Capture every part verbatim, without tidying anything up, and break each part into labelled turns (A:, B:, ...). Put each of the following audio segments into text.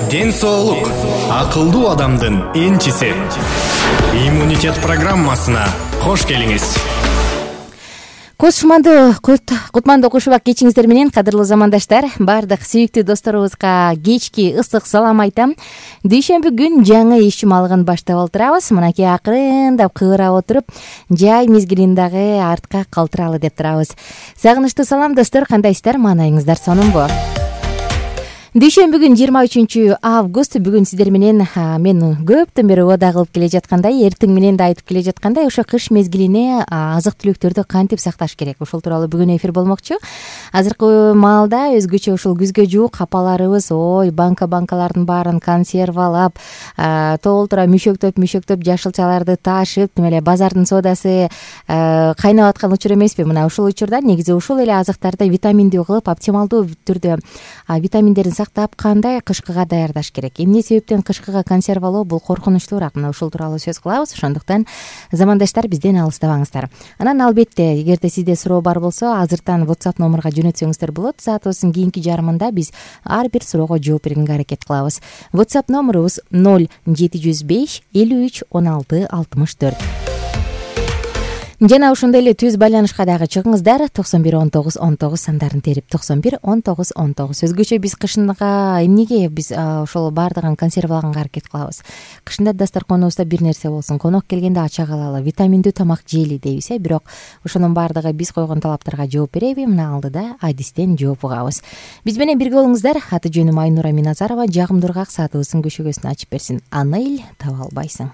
A: ден соолук акылдуу адамдын энчиси. Иммунитет программасына кош келиңиз.
B: Кошманды Кутманды Кушубак кечиңиздер менен, кадырлуу замандаштар, бардык сүйүктүү досторубузга кечки ысык салам айтам. Дүйшөмбү күн жаңы иш чумалыгын баштап олтурабыз. Мынакей акырындап кыбырап отуруп, жай мезгилин дагы артка калтыралы деп турабыз. Сагынычтуу салам достор, кандайсыздар? Маанайыңыздар сонунбу? Дүйшөмбү күн жыйырма үчүнчү август. Бүгүн сиздер менен мен көптөн бери убада кылып келе жаткандай, эртең менен да айтып келе жаткандай, ошо кыш мезгилине азык түлүктөрдү кантип сакташ керек, ошол тууралуу бүгүн эфир болмокчу. Азыркы маалда өзгөчө ушул күзгө жуук апаларыбыз ой банка банкалардын баарын консервалап, толтура мүшөктөп мүшөктөп жашылчаларды ташып, тим эле базардын соодасы кайнап аткан учур эмеспи? Мына ушул учурда негизи ушул эле азыктарды витаминдүү кылып, оптималдуу түрдө витаминдерин сактап, кандай кышкыга даярдаш керек, эмне себептен кышкыга консервалоо бул коркунучтуураак, мына ушул тууралуу сөз кылабыз. Ошондуктан замандаштар, бизден алыстабаңыздар. Анан албетте, эгерде сизде суроо бар болсо, азыртан WhatsApp номурга жөнөтсөңүздөр болот. Саатыбыздын кийинки жарымында биз ар бир суроого жооп бергенге аракет кылабыз. WhatsApp номурубуз ноль жети жүз беш элүү үч он алты алтымыш төрт. Жана ошондой эле түз байланышка дагы чыгыңыздар. токсон бир он тогуз он тогуз сандарын терип, токсон бир он тогуз он тогуз. Өзгөчө биз кышынга эмнеге биз ошол баардыгын консервалаганга аракет кылабыз? Кышында дасторконубузда бир нерсе болсун, конок келгенде ача калалы, витаминдүү тамак жейли дейбиз, э, бирок ошонун баардыгы биз койгон талаптарга жооп береби? Мына алдыда адистен жооп угабыз. Биз менен бирге болуңуздар. Аты жөнүм Айнура Миназарова. Жагымдуу ыргак саатыбыздын көшөгөсүн ачып берсин. Аны эл таба албайсың.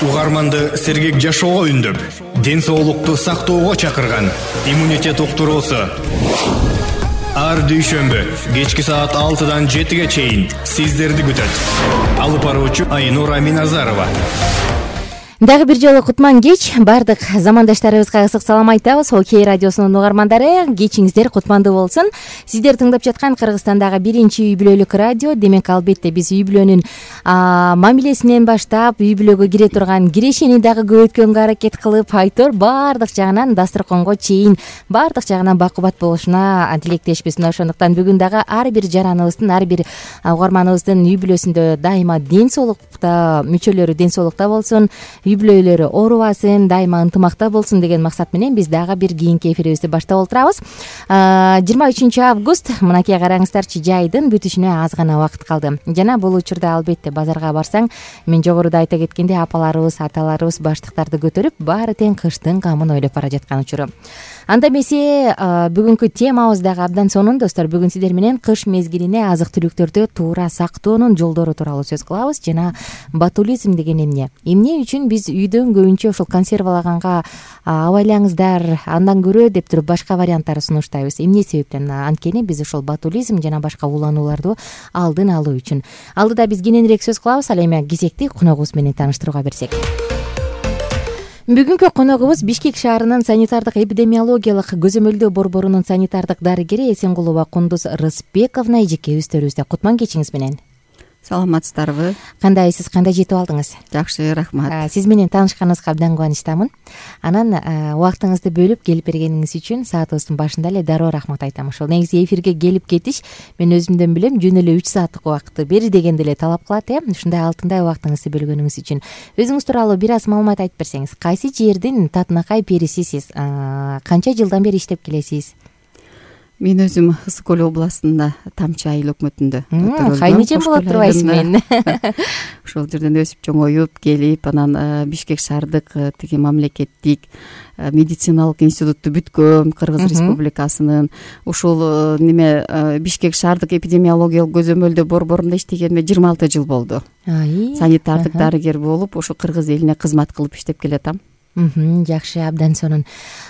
A: угарманды сергек жашоого үндөп, ден соолукту сактоого чакырган иммунитет уктуруусу. Ар дүйшөмбү кечки саат алтыдан жетиге чейин сиздерди күтөт. Алып баруучу Айнура Миназарова.
B: Дагы бир жолу кутман кеч. Бардык замандаштарыбызга ысык салам айтабыз. Окей радиосунун угармандары, кечиңиздер кутмандуу болсун. Сиздер тыңдап жаткан Кыргызстандагы биринчи үй бүлөлүк радио. Демек, албетте биз үй бүлөнүн мамилесинен баштап, үй бүлөгө кире турган кирешени дагы көбөйткөнгө аракет кылып, айтор бардык жагынан дасторконго чейин бардык жагынан бакубат болушуна тилектешпиз. Мына ошондуктан бүгүн дагы ар бир жараныбыздын, ар бир угарманыбыздын үй бүлөсүндө дайыма ден соолукта, мүчөлөрү ден соолукта болсун, үй бүлөлөрү оорубасын, дайыма ынтымакта болсун деген максат менен биз дагы бир кийинки эфирибизди баштап отурабыз. жыйырма үчүнчү август, мынакей караңыздарчы, жайдын бүтүшүнө аз гана убакыт калды. Жана бул учурда албетте базарга барсаң, мен жогоруда айта кеткендей, апаларыбыз, аталарыбыз баштыктарды көтөрүп, баары тең кыштын камын ойлоп бара жаткан учуру. Анда эмесе, бүгүнкү темабыз дагы абдан сонун, достор. Бүгүн сиздер менен кыш мезгилине азык-түлүктөрдү туура сактоонун жолдору тууралуу сөз кылабыз. Жана ботулизм деген эмне? Эмне үчүн биз үйдөн көбүнчө ушул консервалаганга абайлаңыздар, андан көрө деп туруп башка варианттарды сунуштайбыз. Эмне себептен? Анткени биз ушул ботулизм жана башка уланууларды алдын алуу үчүн. Алдыда биз кененирээк сөз кылабыз. Ал эми кезекти коногубуз менен тааныштырууга берсек. Бүгүнкү коногубуз Бишкек шаарынын санитардык эпидемиологиялык көзөмөлдөө борборунун санитардык дарыгери Эсенгулова Кундуз Рыспековна. Эжеке өздөрүбүздө кутман кечиңиз менен.
C: Саламатсыздарбы?
B: Кандайсыз, кандай жетип алдыңыз?
C: Жакшы, рахмат.
B: Сиз менен таанышканыбызга абдан кубанычтамын. Анан убактыңызды бөлүп келип бергениңиз үчүн саатыбыздын башында эле дароо рахмат айтам. Ошол негизи эфирге келип кетиш мен өзүмдөн билем, жөн эле үч сааттык убакытты бери дегенде эле талап кылат, э. Ушундай алтындай убактыңызды бөлгөнүңүз үчүн. Өзүңүз тууралуу бир аз маалымат айтып берсеңиз. Кайсы жердин татынакай перисисиз? Канча жылдан бери иштеп келесиз?
C: Мен өзүм Ысык Көл областында Тамчы айыл өкмөтүндө
B: кайнычем болуп турбайсызбы мен?
C: Ошол жерден өсүп чоңоюп келип, анан Бишкек шаардык тиги мамлекеттик медициналык институтту бүткөм, Кыргыз Республикасынын. Ушул неме Бишкек шаардык эпидемиологиялык көзөмөлдөө борборунда иштегениме жыйырма алты жыл болду. Санитардык дарыгер болуп, ошо Кыргыз элине кызмат кылып иштеп келатам.
B: Жакшы, абдан сонун.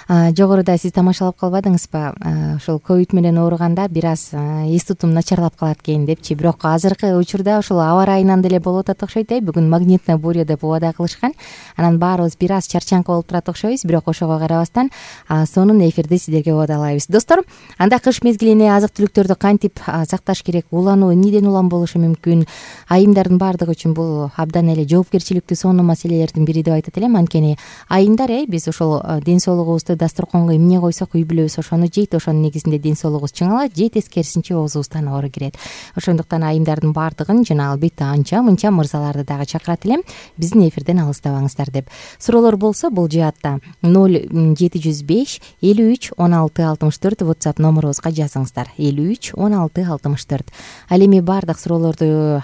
B: Жогоруда сиз тамашалап калбадыңызбы? Ошол ковид менен ооруганда бир аз эс тутум начарлап калат экен депчи. Бирок азыркы учурда ошол аба ырайынан деле болуп атат окшойт, э. Бүгүн магнитная буря деп убада кылышкан. Анан баарыбыз бир аз чарчаңкы болуп турат окшойбуз, бирок ошого карабастан сонун эфирди сиздерге убадалайбыз. Достор, анда кыш мезгилине азык-түлүктөрдү кантип сакташ керек? Улануу эмнеден улам болушу мүмкүн? Айымдардын баардыгы үчүн бул абдан эле жоопкерчиликтүү сонун маселелердин бири деп айтат элем. Анткени айымдар, э, биз ошол ден соолугубузду дасторконго эмне койсок, үй бүлөбүз ошону жейт, ошонун негизинде ден соолугубуз чыңалат, же тескерисинче оозубуздан оору кирет. Ошондуктан айымдардын баардыгын жана албетте анча мынча мырзаларды дагы чакырат элем, биздин эфирден алыстабаңыздар деп. Суроолор болсо бул жаатта ноль жети жүз беш элүү үч он алты алтымыш төрт WhatsApp номерубузга жазыңыздар. элүү үч он алты алтымыш төрт. Ал эми баардык суроолорду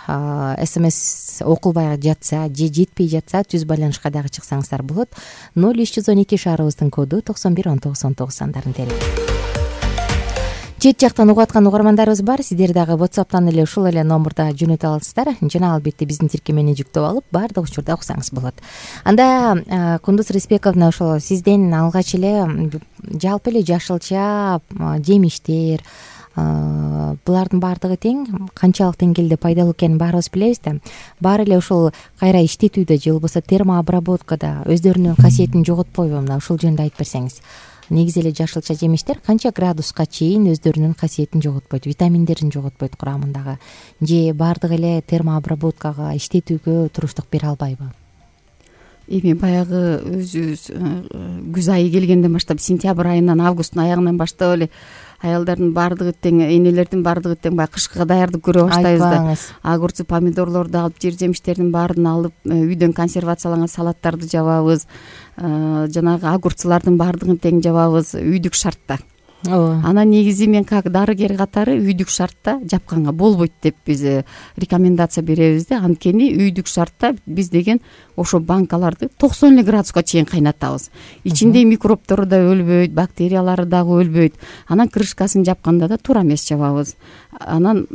B: смс окулбай жатса же жетпей жатса түз байланышка дагы чыксаңыздар болот. ноль үч жүз он эки шаарыбыздын коду токсон бир он тогуз он тогуз сандарын терип. Чет жактан угуп аткан угармандарыбыз бар. Сиздер дагы WhatsApp'тан эле ушул эле номерда жөнөтө аласыздар. Жана албетте биздин тиркемени жүктөп алып, баардык учурда уксаңыз болот. Анда Кундуз Рыспековна, ошол сизден алгач эле жалпы эле жашылча жемиштер, булардын баардыгы тең канчалык деңгээлде пайдалуу экенин баарыбыз билебиз да. Баары эле ушул кайра иштетүүдө же болбосо термообработкада өздөрүнүн касиетин жоготпойбу? Мына ушул жөнүндө айтып берсеңиз. Негизи эле жашылча жемиштер канча градуска чейин өздөрүнүн касиетин жоготпойт, витаминдерин жоготпойт курамындагы, же баардыгы эле термообработкага, иштетүүгө туруштук бере албайбы?
C: Эми баягы өзүбүз күз айы келгенден баштап, сентябрь айынан августтун аягынан баштап эле аялдардын баардыгы тең, энелердин баардыгы тең баягы кышкыга даярдык көрө баштайбыз да. Огурцы, помидорлорду алып, жер жемиштердин баарын алып, үйдөн консервацияланган салаттарды жабабыз, жанагы огурцлардын баардыгын тең жабабыз, үйдүк шартта.
B: ооба.
C: Анан негизи мен как дарыгер катары үйдүк шартта жапканга болбойт деп биз рекомендация беребиз да. Анткени үйдүк шартта биз деген ошо банкаларды токсон эле градуска чейин кайнатабыз. Ичинде микробтору да өлбөйт, бактериялары дагы өлбөйт. Анан крышкасын жапканда да туура эмес жабабыз. Анан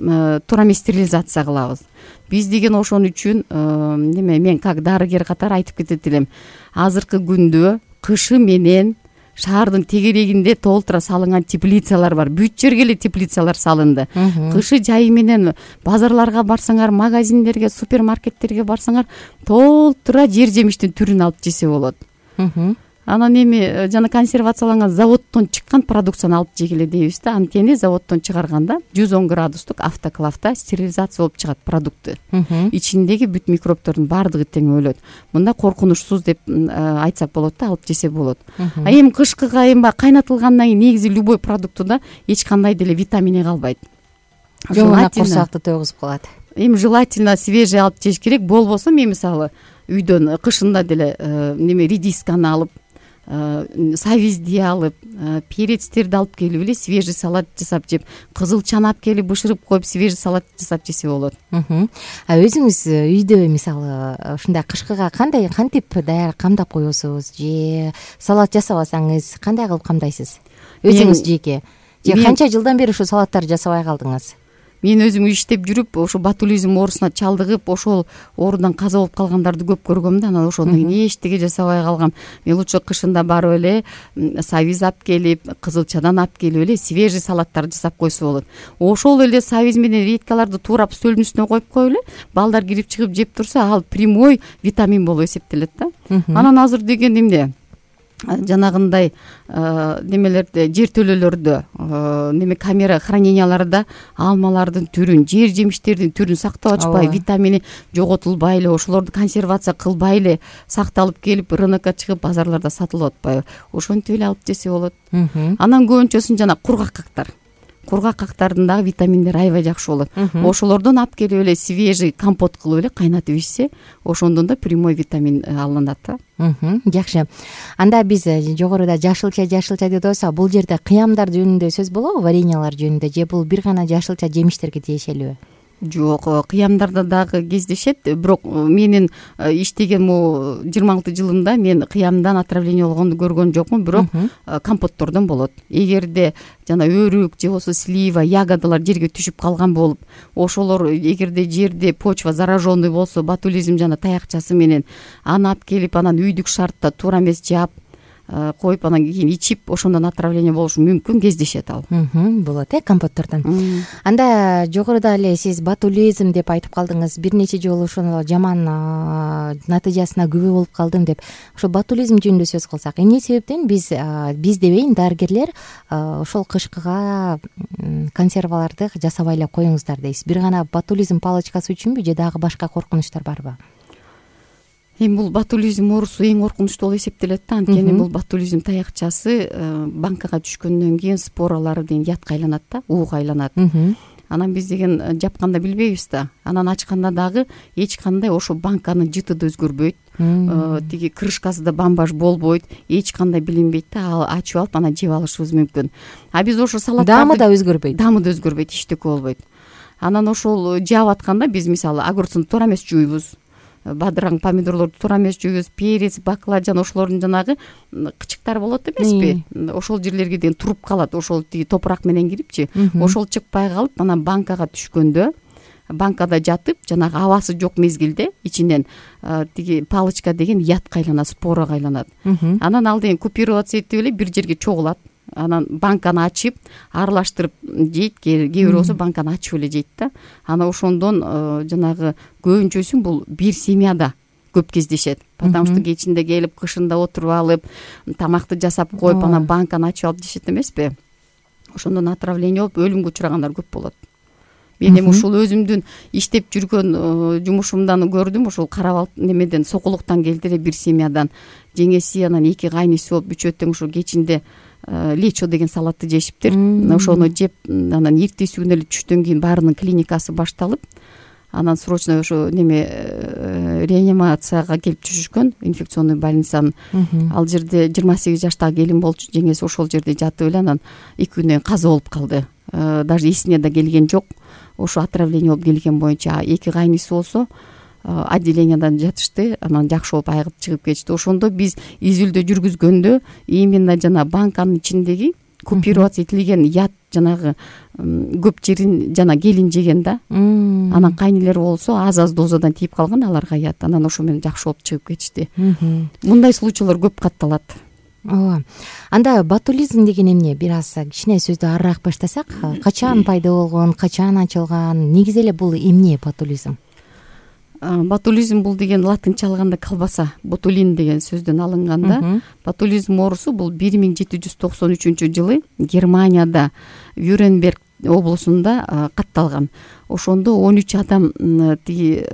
C: туура эмес стерилизация кылабыз. Биз деген ошон үчүн неме мен как дарыгер катары айтып кетет элем. Азыркы күндө кышы менен шаардын тегерегинде толтура салынган теплицалар бар. Бүт жерге эле теплицалар салынды. Кышы жайы менен базарларга барсаңар, магазиндерге, супермаркеттерге барсаңар, толтура жер жемиштин түрүн алып жесе болот. Анан эми жана консервацияланган заводдон чыккан продукцияны алып жегиле дейбиз да. Анткени заводдон чыгарганда жүз он градустук автоклавда стерилизация болуп чыгат продукты. Ичиндеги бүт микробтордун баардыгы тең өлөт. Мында коркунучсуз деп айтсак болот да, алып жесе болот. А эми кышкыга эми кайнатылгандан кийин негизи любой продуктуда эч кандай деле витамини калбайт.
B: Жомана курсакты тойгузуп калат.
C: Эми желательно свежий алып жеш керек. Болбосо мен мисалы үйдөн кышында деле неме редисканы алып, савизди алып, перецтерди алып келип эле свежий салат жасап жеп, кызылчаны алып келип бышырып коюп свежий салат жасап жесе болот.
B: А өзүңүз үйдө мисалы ушундай кышкыга кандай кантип даяр камдап коесуз же салат жасабасаңыз кандай кылып камдайсыз? Өзүңүз жеке же канча жылдан бери ушу салаттарды жасабай калдыңыз?
C: Мен өзүм иштеп жүрүп, ошо ботулизм оорусуна чалдыгып, ошол оорудан каза болуп калгандарды көп көргөм да. Анан ошондон кийин эчтеге жасабай калгам. Мен лучше кышында барып эле савиз алып келип, кызылчадан алып келип эле свежий салаттарды жасап койсо болот. Ошол эле савиз менен редькаларды туурап стөлдүн үстүнө коюп коюп эле балдар кирип чыгып жеп турса, ал прямой витамин болуп эсептелет да. Анан азыр деген эмне жанагындай немелерде, жертөлөлөрдө, неме камера храненияларда алмалардын түрүн, жер жемиштердин түрүн сактап ачпай, витамини жоготулбай эле, ошолорду консервация кылбай эле сакталып келип, рынокко чыгып базарларда сатылып атпайбы? Ошентип эле алып жесе болот. Анан көбүнчөсүн жана кургак кактар. Кургак кактардын дагы витаминдери аябай жакшы болот. Ошолордон алып келип эле свежий компот кылып эле кайнатып ичсе, ошондон да прямой витамин алынат да.
B: Жакшы. Анда биз жогоруда жашылча жашылча деп атабыз. Бул жерде кыямдар жөнүндө сөз болобу, вареньялар жөнүндө же бул бир гана жашылча жемиштерге тиешелүүбү?
C: Жок, кыямдарда дагы кездешет. Бирок менин иштеген могу жыйырма алты жылымда мен кыямдан отравление болгонду көргөн жокмун, бирок компоттордон болот. Эгерде жана өрүк же болбосо слива, ягодалар жерге түшүп калган болуп, ошолор эгерде жерде почва зараженный болсо, ботулизм жана таякчасы менен аны алып келип, анан үйдүк шартта туура эмес жаап коюп, анан кийин ичип, ошондон отравление болушу мүмкүн, кездешет ал.
B: Болот э, компоттордон. Анда жогоруда эле сиз ботулизм деп айтып калдыңыз. Бир нече жолу ошону жаман натыйжасына күбө болуп калдым деп. Ошо ботулизм жөнүндө сөз кылсак, эмне себептен биз биз дебейин, дарыгерлер ошол кышкыга консерваларды жасабай эле коюңуздар дейсиз. Бир гана ботулизм палочкасы үчүнбү же дагы башка коркунучтар барбы?
C: Эми бул ботулизм оорусу эң коркунучтуу болуп эсептелет да. Анткени бул ботулизм таякчасы банкага түшкөндөн кийин споралары деген ятка айланат да, ууга айланат. Анан биз деген жапканда билбейбиз да. Анан ачканда дагы эч кандай ошо банканын жыты да өзгөрбөйт. Тиги крышкасы да бамбаш болбойт, эч кандай билинбейт да. Ал ачып алып анан жеп алышыбыз мүмкүн. А биз ошо салаттарды
B: даамы да өзгөрбөйт.
C: Даамы да өзгөрбөйт, эчтеке болбойт. Анан ошол жаап атканда биз мисалы огурцун туура эмес жуйбуз. Бадыраң помидорлорду туура эмес жуйбуз, перец, баклажан, ошолордун жанагы кычыктары болот эмеспи? Ошол жерлерге деген туруп калат, ошол тиги топурак менен кирипчи. Ошол чыкпай калып, анан банкага түшкөндө, банкада жатып, жанагы абасы жок мезгилде ичинен тиги палочка деген ятка айланат, спорага айланат. Анан ал деген купироваться этип эле бир жерге чогулат. Анан банканы ачып, аралаштырып жейт, кээ бир болсо банканы ачып эле жейт да. Анан ошондон жанагы көбүнчөсүн бул бир семьяда көп кездешет. Потому что кечинде келип, кышында отуруп алып, тамакты жасап коюп, анан банканы ачып алып жешет эмеспи? Ошондон отравление болуп, өлүмгө учрагандар көп болот. Мен эми ушул өзүмдүн иштеп жүргөн жумушумдан көрдүм, ушул карабал немеден, сокулуктан келди эле бир семьядан. Жеңеси анан эки кайниси болуп, үчөө тең ушул кечинде лечо деген салатты жешиптир. Ошону жеп, анан эртеси күнү эле түштөн кийин баарынын клиникасы башталып, анан срочно ошо неме реанимацияга келип түшүшкөн, инфекционный больницанын. Ал жерде жыйырма сегиз жаштагы келин болчу, жеңеси ошол жерде жатып эле анан эки күндөн кийин каза болуп калды. Даже эсине да келген жок. Ошо отравление болуп келген боюнча эки кайниси болсо отделениядан жатышты, анан жакшы болуп айыгып чыгып кетишти. Ошондо биз изилдөө жүргүзгөндө именно жана банканын ичиндеги купировать этилген яд жанагы көп жерин жана келин жеген да. Анан кайнелер болсо аз-аз дозадан тийип калган аларга яд. Анан ошо менен жакшы болуп чыгып кетишти. Мындай случайлар көп катталат.
B: Ооба. Анда ботулизм деген эмне? Бир аз кичине сөздү арыраак баштасак, качан пайда болгон, качан ачылган, негизи эле бул эмне ботулизм?
C: Ботулизм бул деген латынча алганда колбаса, ботулин деген сөздөн алынганда, ботулизм оорусу бул бир миң жети жүз токсон үчүнчү жылы Германияда Вюренберг облусунда катталган. Ошондо он үч адам тиги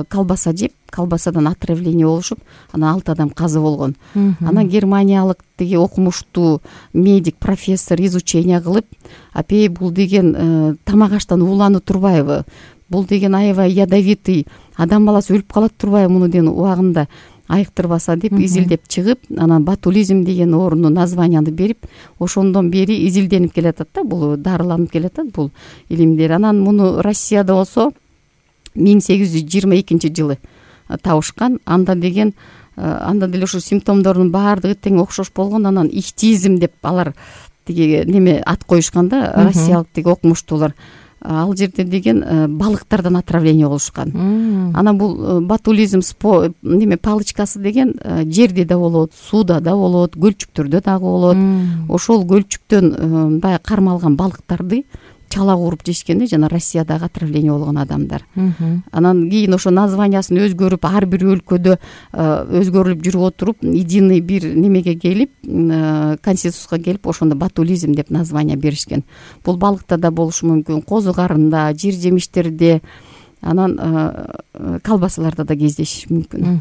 C: колбаса жеп, колбасадан отравление болушуп, анан алты адам каза болгон. Анан германиялык тиги окумуштуу медик профессор изучение кылып, апей бул деген тамак аштан ууланып турбайбы? Бул деген аябай ядовитый, адам баласы өлүп калат турбайбы муну деген убагында айыктырбаса деп изилдеп чыгып, анан ботулизм деген оорунун названияны берип, ошондон бери изилденип келатат да, бул дарыланып келатат бул илимдер. Анан муну Россияда болсо миң сегиз жүз жыйырма экинчи жылы табышкан. Анда деген анда деле ошо симптомдордун баардыгы тең окшош болгон. Анан ихтизм деп алар тиги неме ат коюшкан да, россиялык тиги окумуштуулар. Ал жерде деген балыктардан отравление болушкан. Анан бул ботулизм неме палычкасы деген жерде да болот, сууда да болот, көлчүктөрдө дагы болот. Ошол көлчүктөн баягы кармалган балыктарды чала кууруп жешкенде жана Россиядагы отравление болгон адамдар. Анан кийин ошо названиясын өзгөрүп, ар бир өлкөдө өзгөрүлүп жүрүп отуруп, единый бир немеге келип, консенсуска келип, ошондо ботулизм деп название беришкен. Бул балыкта да болушу мүмкүн, козу карында, жер жемиштерде, анан колбасаларда да кездешиши мүмкүн.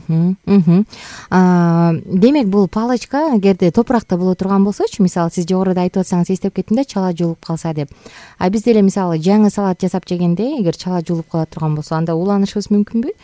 B: Демек бул палочка эгерде топуракта боло турган болсочу, мисалы сиз жогоруда айтып атсаңыз эстеп кеттим да, чала жуулуп калса деп. А биз деле мисалы жаңы салат жасап жегенде эгер чала жуулуп кала турган болсо, анда уланышыбыз мүмкүнбү?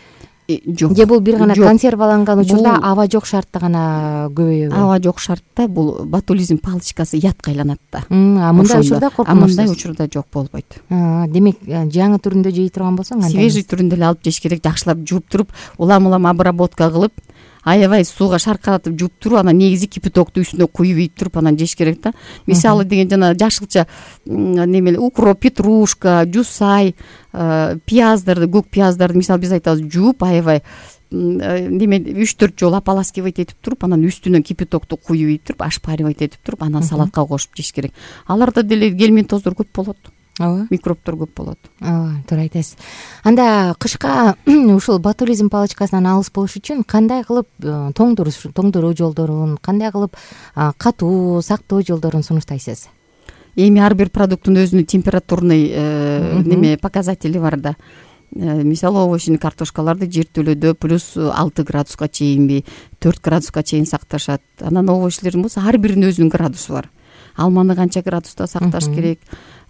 C: Жок.
B: Же бул бир гана консерваланган учурда аба жок шартта гана көбөйөбү?
C: Аба жок шартта бул ботулизм палочкасы ятка айланат да.
B: А мындай учурда коркунучсуз?
C: Мындай учурда жок болбойт.
B: Демек жаңы түрүндө жей турган болсоң, анда
C: свежий түрүндө эле алып жеш керек, жакшылап жууп туруп, улам-улам обработка кылып, аябай сууга шаркыратып жууп туруп, анан негизи кипятокту үстүнө куюп ийип туруп анан жеш керек да. Мисалы деген жана жашылча неме укроп, петрушка, жусай, пияздарды, көк пияздарды мисалы биз айтабыз жууп, аябай неме үч төрт жолу ополаскивать этип туруп, анан үстүнө кипятокту куюп ийип туруп, ошпаривать этип туруп, анан салатка кошуп жеш керек. Аларда деле гельминтоздор көп болот.
B: Ооба.
C: Микробтор көп болот.
B: Ооба, туура айтасыз. Анда кышка ушул ботулизм палочкасынан алыс болуш үчүн кандай кылып тоңдуруу жолдорун, кандай кылып катуу сактоо жолдорун сунуштайсыз?
C: Эми ар бир продукттун өзүнүн температурный неме показатели бар да. Мисалы овощный картошкаларды жертөлөдө плюс алты градуска чейинби, төрт градуска чейин сакташат. Анан овощлердин болсо ар биринин өзүнүн градусу бар. Алманы канча градуста сакташ керек?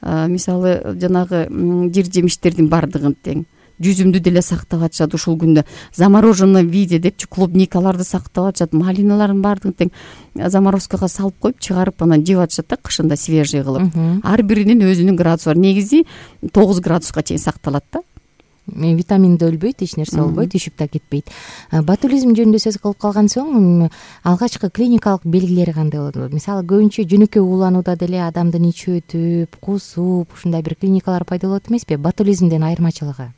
C: Мисалы жанагы жер жемиштердин баардыгын тең. Жүзүмдү деле сактап атышат ушул күндө. Замороженный виде депчи клубникаларды сактап атышат, малиналардын баардыгын тең заморозкага салып коюп, чыгарып анан жеп атышат да, кышында свежий кылып. Ар биринин өзүнүн градусу бар. Негизи тогуз градуска чейин сакталат да.
B: Витамин да өлбөйт, эч нерсе болбойт, түшүп да кетпейт. Ботулизм жөнүндө сөз кылып калган соң, алгачкы клиникалык белгилери кандай болот? Мисалы, көбүнчө жөнөкөй ууланууда деле адамдын ичи өтүп, кусуп, ушундай бир клиникалар пайда болот эмеспи? Ботулизмдин айырмачылыгы?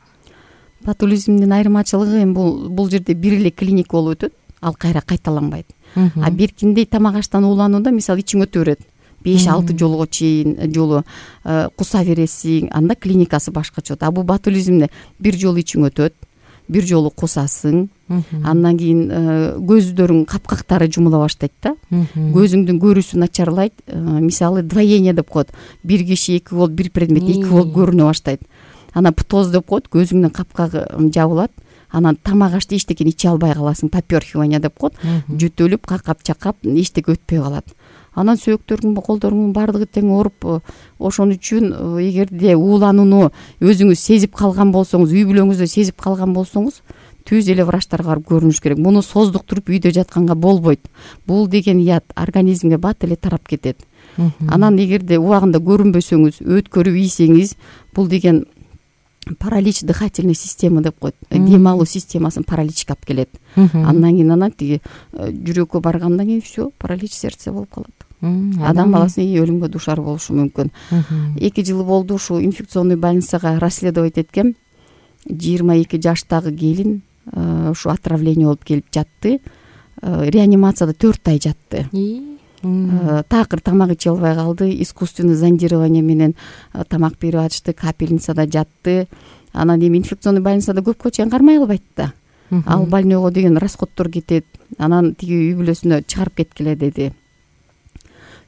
C: Ботулизмдин айырмачылыгы эми бул бул жерде бир эле клиника болуп өтөт, ал кайра кайталанбайт. А беркиндей тамак аштан ууланууда мисалы ичиң өтө берет. беш алты жолго чейин жолу куса бересиң, анда клиникасы башкача болот. А бул ботулизмде бир жолу ичиң өтөт, бир жолу кусасың, андан кийин көздөрүң капкактары жумула баштайт да. Көзүңдүн көрүүсү начарлайт. Мисалы двоение деп коет. Бир киши эки болуп, бир предмет эки болуп көрүнө баштайт. Анан птоз деп коет, көзүңдүн капкагы жабылат. Анан тамак ашты эчтекени иче албай каласың, попёрхивание деп коет. Жөтөлүп, какап чакап, эчтеке өтпөй калат. анан сөөктөрүңүн колдоруңдун баардыгы тең ооруп, ошон үчүн эгерде ууланууну өзүңүз сезип калган болсоңуз, үй бүлөңүздө сезип калган болсоңуз, түз эле врачтарга барып көрүнүш керек. Муну создуктуруп үйдө жатканга болбойт. Бул деген ят организмге бат эле тарап кетет. Анан эгерде убагында көрүнбөсөңүз, өткөрүп ийсеңиз, бул деген паралич дыхательной система деп коет. Дем алуу системасын параличке алып келет. Андан кийин анан тиги жүрөккө баргандан кийин все, паралич сердца болуп калат. Адам баласы өлүмгө дуушар болушу мүмкүн. Эки жыл болду ушу инфекционный больницага расследовать эткем. жыйырма эки жаштагы келин ушу отравление болуп келип жатты. Реанимацияда төрт ай жатты. Такыр тамак иче албай калды. Искусственный зондирование менен тамак берип атышты. Капельницада жатты. Анан эми инфекционный больницада көпкө чейин кармай албайт да. Ал больнойго деген расходдор кетет. Анан тиги үй бүлөсүнө чыгарып кеткиле деди.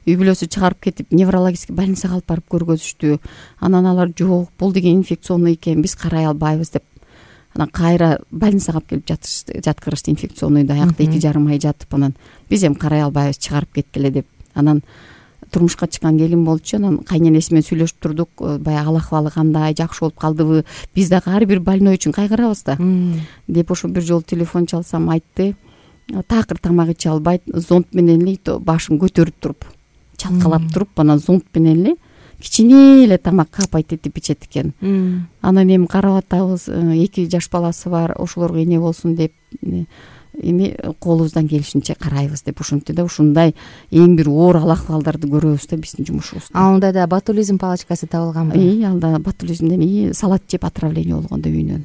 C: Үй бүлөсү чыгарып кетип, неврологический больницага алып барып көргөзүштү. Анан алар жок, бул деген инфекционный экен, биз карай албайбыз деп. Анан кайра больницага алып келип жатышты, жаткырышты инфекционныйда. Аякта эки жарым ай жатып, анан биз эми карай албайбыз, чыгарып кеткиле деп. Анан турмушка чыккан келин болчу. Анан кайненеси менен сүйлөшүп турдук. Баягы ал акыбалы кандай, жакшы болуп калдыбы? Биз дагы ар бир больной үчүн кайгырабыз да. Деп ошо бир жолу телефон чалсам айтты. Такыр тамак иче албайт, зонт менен эле башын көтөрүп туруп, чалкалап туруп, анан зонт менен эле кичине эле тамак капайт этип ичет экен. Анан эми карап атабыз, эки жаш баласы бар, ошолорго эне болсун деп эми колубуздан келишинче карайбыз деп ушинтти да. Ушундай эң бир оор ал акыбалдарды көрөбүз да биздин жумушубузда.
B: Анда да ботулизм палочкасы табылганбы?
C: И, алда ботулизмден и салат жеп отравление болгондо үйүнөн.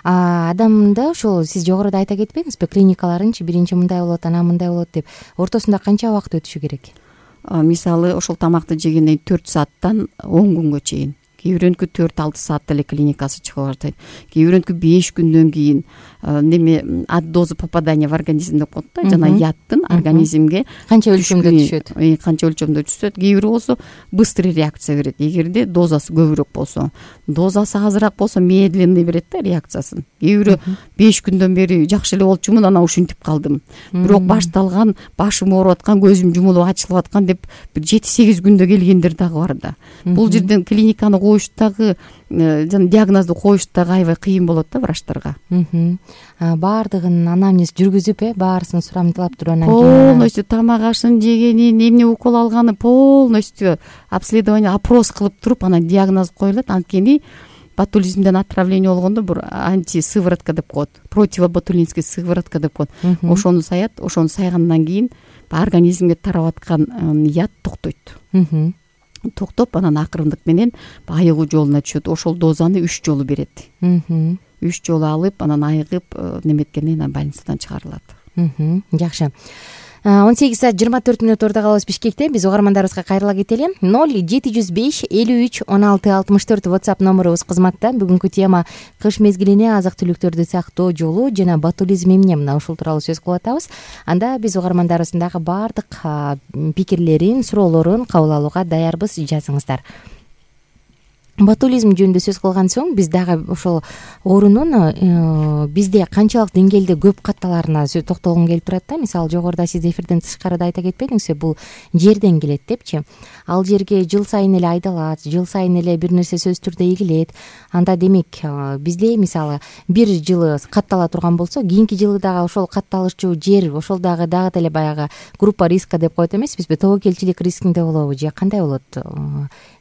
B: Адамда ошол сиз жогоруда айта кетпедиңизби, клиникаларынчы биринчи мындай болот, анан мындай болот деп. Ортосунда канча убакыт өтүшү керек?
C: Мисалы, ошол тамакты жегенден төрт сааттан он күнгө чейин. Кээ бирөөнүкү төрт алты саатта эле клиникасы чыгып баштайт. Кээ бирөөнүкү беш күндөн кийин неме от дозы попадания в организм деп коет да, жана яттын организмге
B: канча өлчөмдө түшөт.
C: Канча өлчөмдө түшөт. Кээ бири болсо быстрый реакция берет. Эгерде дозасы көбүрөөк болсо, дозасы азыраак болсо медленный берет да реакциясын. Кээ бири беш күндөн бери жакшы эле болчумун, анан ушинтип калдым. Бирок башталган, башым ооруп аткан, көзүм жумулуп ачылып аткан деп бир жети сегиз күндө келгендер дагы бар да. Бул жерден клиниканы коюштагы, жана диагнозду коюштагы аябай кыйын болот да врачтарга.
B: Баардыгын анамнез жүргүзүп, э, баарысын сурамдылап туруп, анан
C: полностью тамак ашын жегенин, эмне укол алганы полностью обследование, опрос кылып туруп, анан диагноз коюлат. Анткени ботулизмден отравление болгондо бир антисыворотка деп коет, противоботулинский сыворотка деп коет. Ошону саят, ошону сайгандан кийин организмге тарап аткан яд токтойт. Токтоп, анан акырындык менен айыгуу жолуна түшөт. Ошол дозаны үч жолу берет. үч жолу алып, анан айыгып неметкенден кийин больницадан чыгарылат.
B: Жакшы. он сегиз саат жыйырма төрт мүнөт ордо калабыз Бишкекте. Биз угармандарыбызга кайрыла кетели. ноль жети жүз беш элүү үч он алты алтымыш төрт WhatsApp номерубуз кызматта. Бүгүнкү тема кыш мезгилине азык түлүктөрдү сактоо жолу жана ботулизм эмне, мына ушул тууралуу сөз кылып атабыз. Анда биз угармандарыбыздын дагы баардык пикирлерин, суроолорун кабыл алууга даярбыз. Жазыңыздар. Ботулизм жөнүндө сөз кылган соң биз дагы ошол оорунун бизде канчалык деңгээлде көп катталарына токтолгум келип турат да. Мисалы, жогоруда сиз эфирден тышкарыда айта кетпедиңизби, бул жерден келет депчи. Ал жерге жыл сайын эле айдалат, жыл сайын эле бир нерсе сөзсүз түрдө эгилет. Анда демек бизде мисалы бир жылы каттала турган болсо, кийинки жылы дагы ошол катталышчу жер, ошол дагы дагы деле баягы группа риска деп коет эмеспизби? Тобокелчилик рискинде болобу же кандай болот?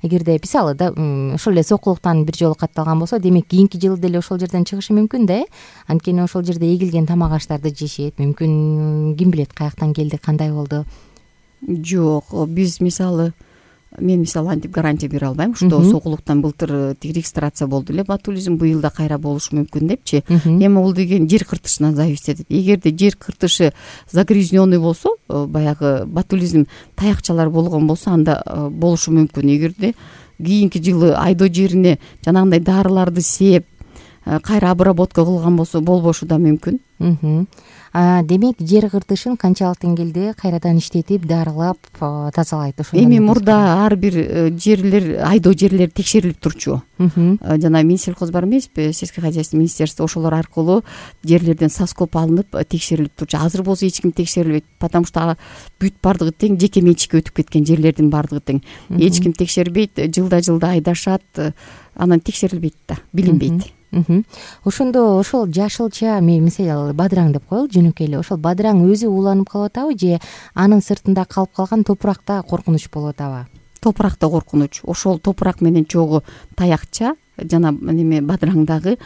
B: Эгерде мисалы да ошол эле сокулуктан бир жолу катталган болсо, демек кийинки жылы деле ошол жерден чыгышы мүмкүн да, э? Анткени ошол жерде эгилген тамак аштарды жешет. Мүмкүн ким билет каяктан келди, кандай болду?
C: Жок, биз мисалы мен мисалы антип гарантия бере албайм, что сокулуктан былтыр регистрация болду эле ботулизм, быйыл да кайра болушу мүмкүн депчи. Эми бул деген жер кыртышынан зависит этет. Эгерде жер кыртышы загрязненный болсо, баягы ботулизм таякчалар болгон болсо, анда болушу мүмкүн. Эгерде кийинки жылы айдоо жерине жанагындай дарыларды сеп, кайра обработка кылган болсо болбошу да мүмкүн.
B: Демек жер кыртышын канчалык деңгээлде кайрадан иштетип дарылап тазалайт ошо?
C: Эми мурда ар бир жерлер, айдоо жерлер текшерилип турчу. Жана Минсельхоз бар эмеспи, сельское хозяйство министерство, ошолор аркылуу жерлерден соскоп алынып текшерилип турчу. Азыр болсо эч ким текшерилбейт, потому что бүт бардыгы тең жеке менчикке өтүп кеткен жерлердин бардыгы тең. Эч ким текшербейт, жылда жылда айдашат, анан текшерилбейт да, билинбейт.
B: Ошондо ошол жашылча, мен мисалы бадыраң деп коелу жөнөкөй эле, ошол бадыраң өзү уланып калып атабы же анын сыртында калып калган топуракта коркунуч болуп атабы?
C: Топуракта коркунуч. Ошол топурак менен чогуу таякча жана неме бадыраңдагы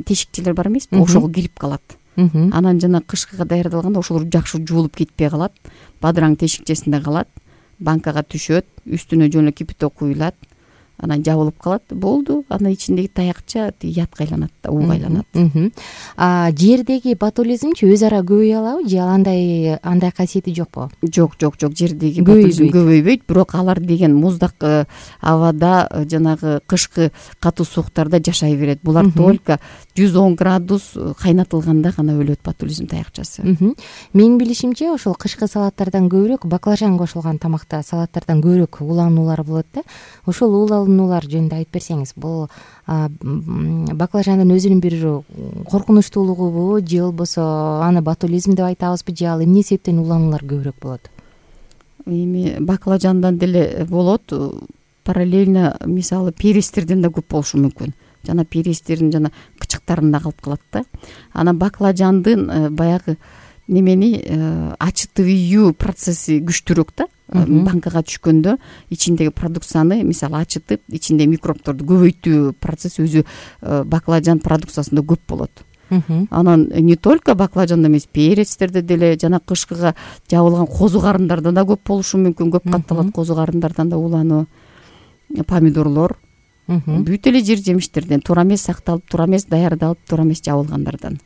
C: тешикчелер бар эмеспи, ошого кирип калат. Анан жана кышкыга даярдалганда ошолор жакшы жуулуп кетпей калат. Бадыраң тешикчесинде калат, банкага түшөт, үстүнө жөн эле кипяток куюлат, анан жабылып калат, болду. Анын ичиндеги таякча ятка айланат да, ууга айланат.
B: А жердеги ботулизмчи өз ара көбөйө алабы же андай андай касиети жокпу?
C: Жок, жок, жок, жердеги ботулизм көбөйбөйт, бирок алар деген муздак абада, жанагы кышкы катуу сууктарда жашай берет. Булар только жүз он градус кайнатылганда гана өлөт ботулизм таякчасы.
B: Менин билишимче, ошол кышкы салаттардан көбүрөөк, баклажан кошулган тамакта салаттардан көбүрөөк улануулар болот да. Ошол улануулар жөнүндө айтып берсеңиз, бул баклажандын өзүнүн бир коркунучтуулугубу же болбосо аны ботулизм деп айтабызбы, же ал эмне себептен улануулар көбүрөөк болот?
C: Эми баклажандан деле болот, параллельно мисалы перестерден да көп болушу мүмкүн. Жана перестердин жана кычыктарында калып калат да. Анан баклажандын баягы немени ачытуу процесси күчтүүрөөк да. Банкага түшкөндө ичиндеги продукцияны мисалы ачытып, ичинде микробторду көбөйтүү процесси өзү баклажан продукциясында көп болот. Анан не только баклажанда эмес, перецтерде деле жана кышкыга жабылган козу карындарда да көп болушу мүмкүн, көп катталат козу карындардан да улануу. Помидорлор, бүт эле жер жемиштерден туура эмес сакталып, туура эмес даярдалып, туура эмес жабылгандардан.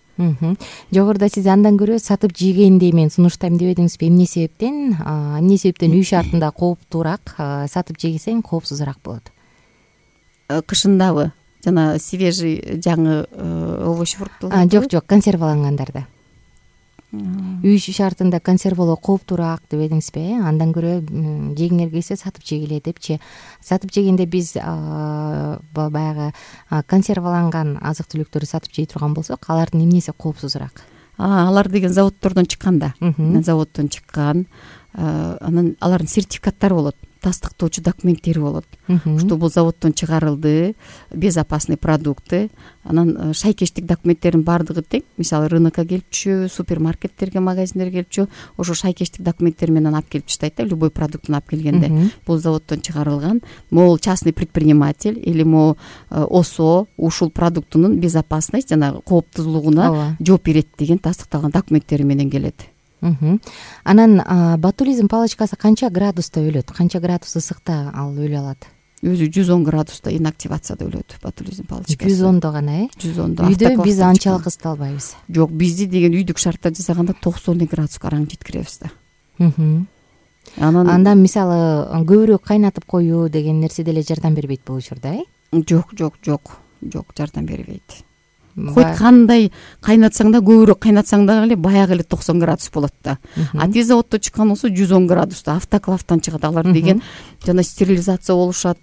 B: Жогоруда сиз андан көрө сатып жегенди мен сунуштайм деп эдиңизби? Эмне себептен? Эмне себептен үй шартында кооптуураак, сатып жесең коопсузураак болот?
C: Кышындабы? Жана свежий жаңы овощ фруктулар?
B: Жок, жок, консервалангандарда. Үй шартында консервалоо кооптуураак деп эдиңизби? Андан көрө жегиңер келсе сатып жегиле депчи. Сатып жегенде биз баягы консерваланган азык түлүктөрдү сатып жей турган болсок, алардын эмнеси коопсузураак?
C: Алар деген заводдордон чыккан да. Заводдон чыккан. Анан алардын сертификаттары болот, тастыктоочу документтери болот. Что бул заводдон чыгарылды, безопасный продукты. Анан шайкештик документтердин бардыгы тең. Мисалы рынокко келипчү, супермаркеттерге, магазиндерге келипчү, ошо шайкештик документтер менен алып келип таштайт да, любой продуктун алып келгенде. Бул заводдон чыгарылган, могул частный предприниматель или могу ОСО ушул продуктунун безопасность жана кооптузлугуна жооп берет деген тастыкталган документтери менен келет.
B: Анан ботулизм палочкасы канча градуста өлөт? Канча градус ысыкта ал өлө алат?
C: Өзү жүз он градуста инактивацияда өлөт ботулизм палочкасы.
B: жүз ондо гана, э?
C: жүз ондо.
B: Үйдө биз анчалык ысыта албайбыз.
C: Жок, бизди деген үйдүк шартта жасаганда токсон градуска араң жеткиребиз да.
B: Анан андан мисалы көбүрөөк кайнатып коюу деген нерсе деле жардам бербейт болушур да, э?
C: Жок, жок, жок. Жок, жардам бербейт. Хоть кандай кайнатсаң да, көбүрөөк кайнатсаң да эле баягы эле токсон градус болот да. А тез заводдон чыккан болсо жүз он градуста автоклавтан чыгат. Алар деген жана стерилизация болушат,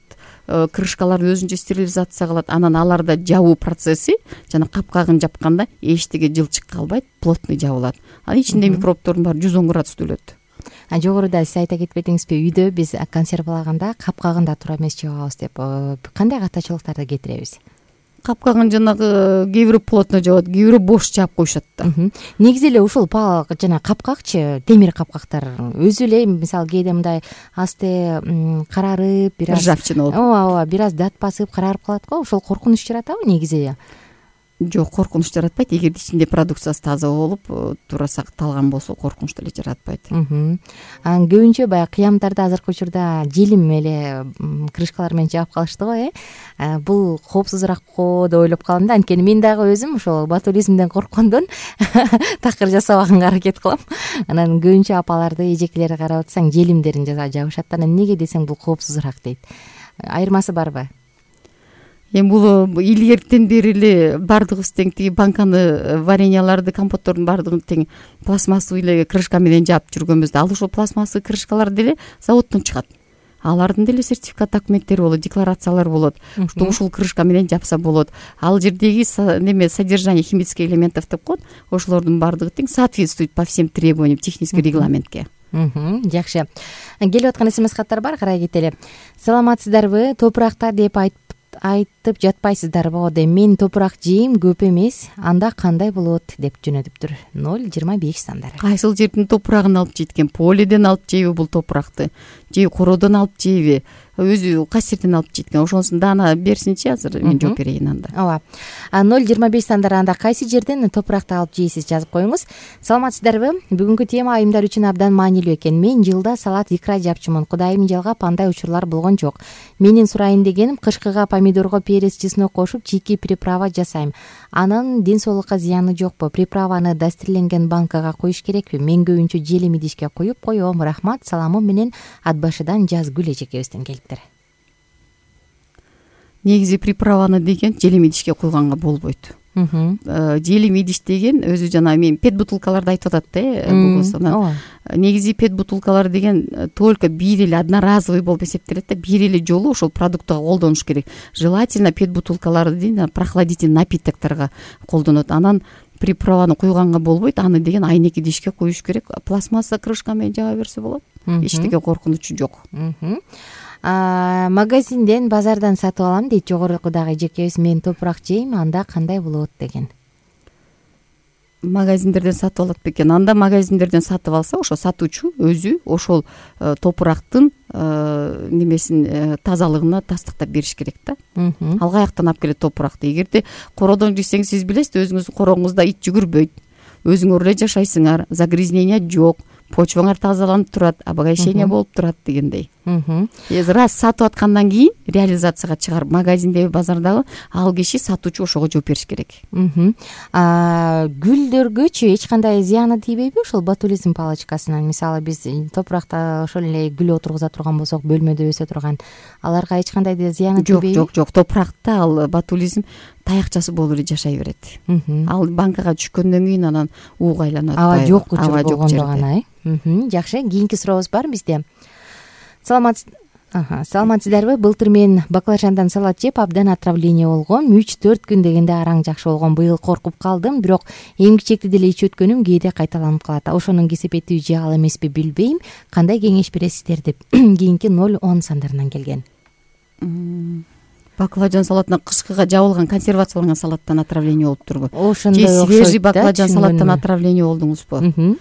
C: крышкаларды өзүнчө стерилизация кылат. Анан аларда жабуу процесси жана капкагын жапканда эчтеге жылчык калбайт, плотный жабылат. Анын ичинде микробтордун баары жүз он градуста өлөт.
B: А жогоруда сиз айта кетпедиңизби, үйдө биз консервалаганда капкагында туура эмес жабабыз деп. Кандай катачылыктарды кетиребиз?
C: Капкагын жанагы кээ бирөө плотно жабат, кээ бирөө бош жаап коюшат да.
B: Негизи эле ушул жана капкакчы, темир капкактар өзү эле мисалы кээде мындай асты карарып, бир аз
C: ржавчина болуп,
B: ооба, ооба, бир аз дат басып карарып калат го. Ошол коркунуч жаратабы негизи эле?
C: Жок, коркунуч жаратпайт. Эгерде ичинде продукциясы таза болуп, туура сакталган болсо, коркунуч деле жаратпайт.
B: Анан көбүнчө баягы кыямдарды азыркы учурда желим эле крышкалар менен жаап калышты го, э? Бул коопсузураак го деп ойлоп калам да. Анткени мен дагы өзүм ошол ботулизмден корккондон такыр жасабаганга аракет кылам. Анан көбүнчө апаларды, эжекелерди карап атсаң, желимдерин жабышат. Анан эмнеге десең, бул коопсузураак дейт. Айырмасы барбы?
C: эми бул илгертен бери эле баардыгыбыз тең тиги банканы вареньяларды компоттордун баардыгын тең пластмассовый эле крышка менен жаап жүргөнбүз да. Ал ошол пластмассовый крышкалар деле заводдон чыгат. Алардын деле сертификат документтери болот, декларациялар болот. Что ушул крышка менен жапса болот. Ал жердеги неме содержание химических элементов деп коет. Ошолордун баардыгы тең соответствует по всем требованиям технический регламентке.
B: Жакшы. Келип аткан смс каттар бар, карай кетели. Саламатсыздарбы? Топуракта деп айтып айтып жатпайсыздарбы? Деп мен топурак жейм, көп эмес. Анда кандай болот деп жөнөтүптүр. ноль жыйырма беш сандары.
C: Кайсыл жердин топурагын алып жейт экен? Полиден алып жейби бул топуракты? Же кородон алып жейби? Өзү кайсы жерден алып жейт экен? Ошонусун даана берсинчи, азыр мен жооп берейин анда.
B: Ооба. ноль жыйырма беш сандары анда кайсы жерден топуракты алып жейсиз, жазып коюңуз. Саламатсыздарбы? Бүгүнкү тема айымдар үчүн абдан маанилүү экен. Мен жылда салат икра жапчумун. Кудайым жалгап андай учурлар болгон жок. Менин сурайын дегеним, кышкыга помидорго перец, чеснок кошуп чийки приправа жасайм. Анын ден соолукка зыяны жокпу? Приправаны дастерленген банкага коюш керекпи? Мен көбүнчө желим идишке коюп коем. Рахмат, саламым менен Атбашыдан Жазгүл эжекебизден келиптир.
C: Негизи приправаны деген желим идишке койгонго болбойт. Желим идиш деген өзү жана мен пет бутылкаларды айтып атат да. Негизи пет бутылкалар деген только бир эле одноразовый болуп эсептелет да. Бир эле жолу ошол продуктка колдонуш керек. Желательно пет бутылкаларды дейм прохладительный напитокторго колдонот. Анан приправаны койгонго болбойт. Аны деген айнек идишке коюш керек. Пластмасса крышка менен жаба берсе болот. Эчтеке коркунучу жок.
B: Магазинден, базардан сатып алам дейт жогорудагы эжекебиз. Мен топурак жейм, анда кандай болот деген.
C: Магазиндерден сатып алат бекен. Анда магазиндерден сатып алса, ошо сатуучу өзү ошол топурактын немесин тазалыгына тастыктап бериш керек да. Ал каяктан алып келет топуракты? Эгерде кородон жесеңиз, сиз билесиз, өзүңүздүн короңузда ит жүгүрбөйт. Өзүңөр эле жашайсыңар, загрязнение жок, почваңар тазаланып турат, обогащение болуп турат дегендей. Раз сатып аткандан кийин реализацияга чыгарып, магазиндеби, базардагы ал киши сатуучу ошого жооп бериш керек.
B: Гүлдөргөчү эч кандай зыяны тийбейби ошол ботулизм палочкасынан? Мисалы биз топуракта ошол эле гүл отургуза турган болсок, бөлмөдө өсө турган, аларга эч кандай зыяны тийбейби?
C: Жок, жок, жок. Топуракта ал ботулизм таякчасы болуп эле жашай берет. Ал банкага түшкөндөн кийин анан ууга айланып атпайбы?
B: Аба жок учур болгондо гана. Жакшы, кийинки сурообуз бар бизде. Саламат Саламатсыздарбы? Былтыр мен баклажандан салат жеп абдан отравление болгом. үч төрт күн дегенде араң жакшы болгон. Быйыл коркуп калдым, бирок эмгичекти деле ичип өткөнүм кээде кайталанып калат. Ошонун кесепети же ал эмеспи билбейм. Кандай кеңеш бересиздер деп кийинки ноль он сандарынан келген.
C: Баклажан салатынан кышкыга жабылган, консервацияланган салаттан отравление болуп турбу?
B: Ошондой
C: окшойт. Же свежий баклажан салаттан отравление болдуңузбу?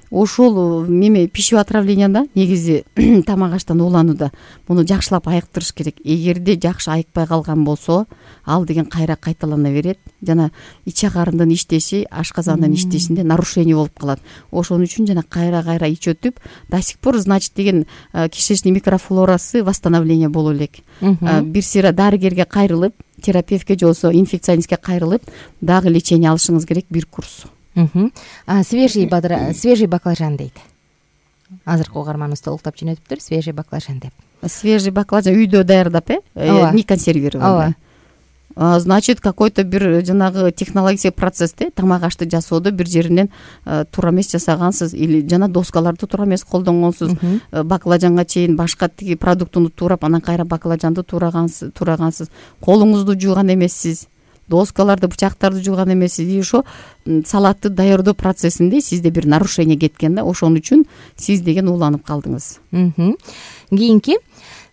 C: Ошол неме пищевой отравленияда негизи тамак аштан ууланууда муну жакшылап айыктырыш керек. Эгерде жакшы айыкпай калган болсо, ал деген кайра кайталана берет. Жана ич агарындын иштеши, ашказандын иштешинде нарушение болуп калат. Ошон үчүн жана кайра-кайра ичип өтүп, до сих пор, значит, деген кишечный микрофлорасы восстановление боло элек. Бир сыйра дарыгерге кайрылып, терапевтке же болбосо инфекционистке кайрылып, дагы лечение алышыңыз керек, бир курс.
B: Свежий бадра, свежий баклажан дейт. Азыркы угарманыбыз толуктап жөнөтүптүр, свежий баклажан деп.
C: Свежий баклажан үйдө даярдап, э, не консервированный. Значит, какой-то бир жанагы технологический процессте тамак ашты жасоодо бир жеринен туура эмес жасагансыз или жана доскаларды туура эмес колдонгонсуз. Баклажанга чейин башка тиги продуктуну туурап, анан кайра баклажанды туурагансыз, туурагансыз. Колуңузду жууган эмессиз. Доскаларды, бычактарды жууган эмессиз. И ошо салатты даярдоо процессинде сизде бир нарушение кеткен да, ошон үчүн сиз деген ууланып калдыңыз.
B: Кийинки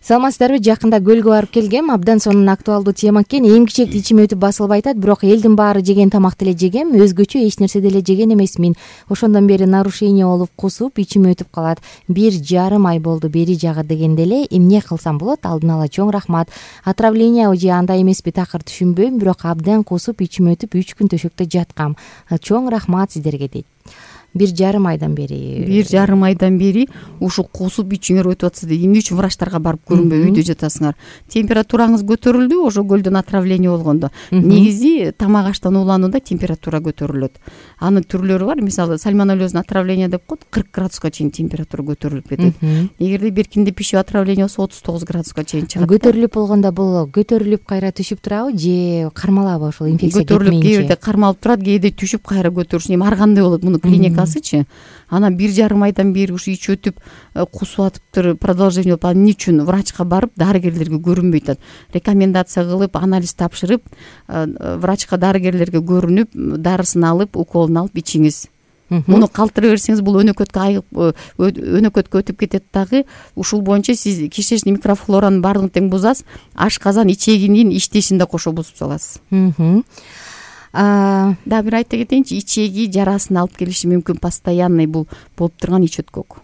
B: саламатсыздарбы? Жакында көлгө барып келгем. Абдан сонун актуалдуу тема экен. Эмгичекти ичим өтүп басылып айтат, бирок элдин баары жеген тамакты эле жегем, өзгөчө эч нерсе деле жеген эмесмин. Ошондон бери нарушение болуп, кусуп, ичим өтүп калат. Бир жарым ай болду бери жагы дегенде эле. Эмне кылсам болот? Алдын ала чоң рахмат. Отравление же андай эмеспи, такыр түшүнбөйм, бирок абдан кусуп, ичим өтүп, үч күн төшөктө жаткам. Чоң рахмат сиздерге дейт. бир жарым айдан бери
C: бир жарым айдан бери ушул кусуп ичиңер өтүп атса да эмне үчүн врачтарга барып көрүнбөй үйдө жатасыңар? Температураңыз көтөрүлдү, ошо көлдөн отравление болгондо. Негизи тамак аштан ууланууда температура көтөрүлөт. Анын түрлөрү бар. Мисалы сальмонеллезный отравление деп коет, кырк градуска чейин температура көтөрүлүп кетет. Эгерде бир кимде пищевой отравление болсо отуз тогуз градуска чейин чыгат.
B: Көтөрүлүп болгондо бул көтөрүлүп кайра түшүп турабы же кармалабы ошол инфекция кетмейинче?
C: Көтөрүлүп кээде кармалып турат, кээде түшүп кайра көтөрүш. Эми ар кандай болот мунун клиникасычы? Анан бир жарым айдан бери ушу ич өтүп кусуп атыптыр, продолжение болуп, эмне үчүн врачка барып дарыгерлерге көрүнбөй атат? Рекомендация кылып, анализ тапшырып, врачка, дарыгерлерге көрүнүп, дарысын алып, уколун алып ичиңиз. Муну калтыра берсеңиз бул өнөкөткө айык өнөкөткө өтүп кетет дагы. Ушул боюнча сиз кишечный микрофлоранын баардыгын тең бузасыз, ашказан, ичегинин иштешин да кошо бузуп саласыз. Дагы бир айта кетейинчи, ичеги жарасын алып келиши мүмкүн, постоянный бул болуп турган ич өткөк.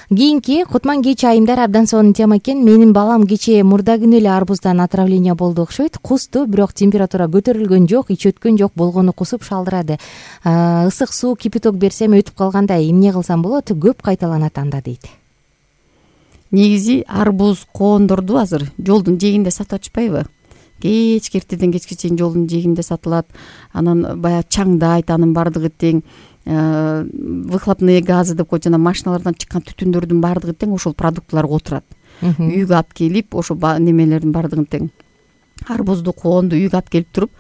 B: Кийинки Кутман-Кеч айымдар абдан сонун тема экен. Менин балам кечээ мурда күнү эле арбуздан отравление болду окшойт. Кусту, бирок температура көтөрүлгөн жок, ич өткөн жок, болгону кусуп шалдырады. Ысык суу, кипяток берсем өтүп калгандай. Эмне кылсам болот? Көп кайталанат анда дейт.
C: Негизи арбуз коондорду азыр жолдун жээгинде сатып атышпайбы? Кечки эртеден кечке чейин жолдун жээгинде сатылат. Анан баягы чаңдайт, анын баардыгы тең выхлопные газы деп коет, жана машиналардан чыккан түтүндөрдүн баардыгы тең ошол продуктыларга отурат. Үйгө алып келип, ошо немелердин баардыгын тең арбузду, коонду үйгө алып келип туруп,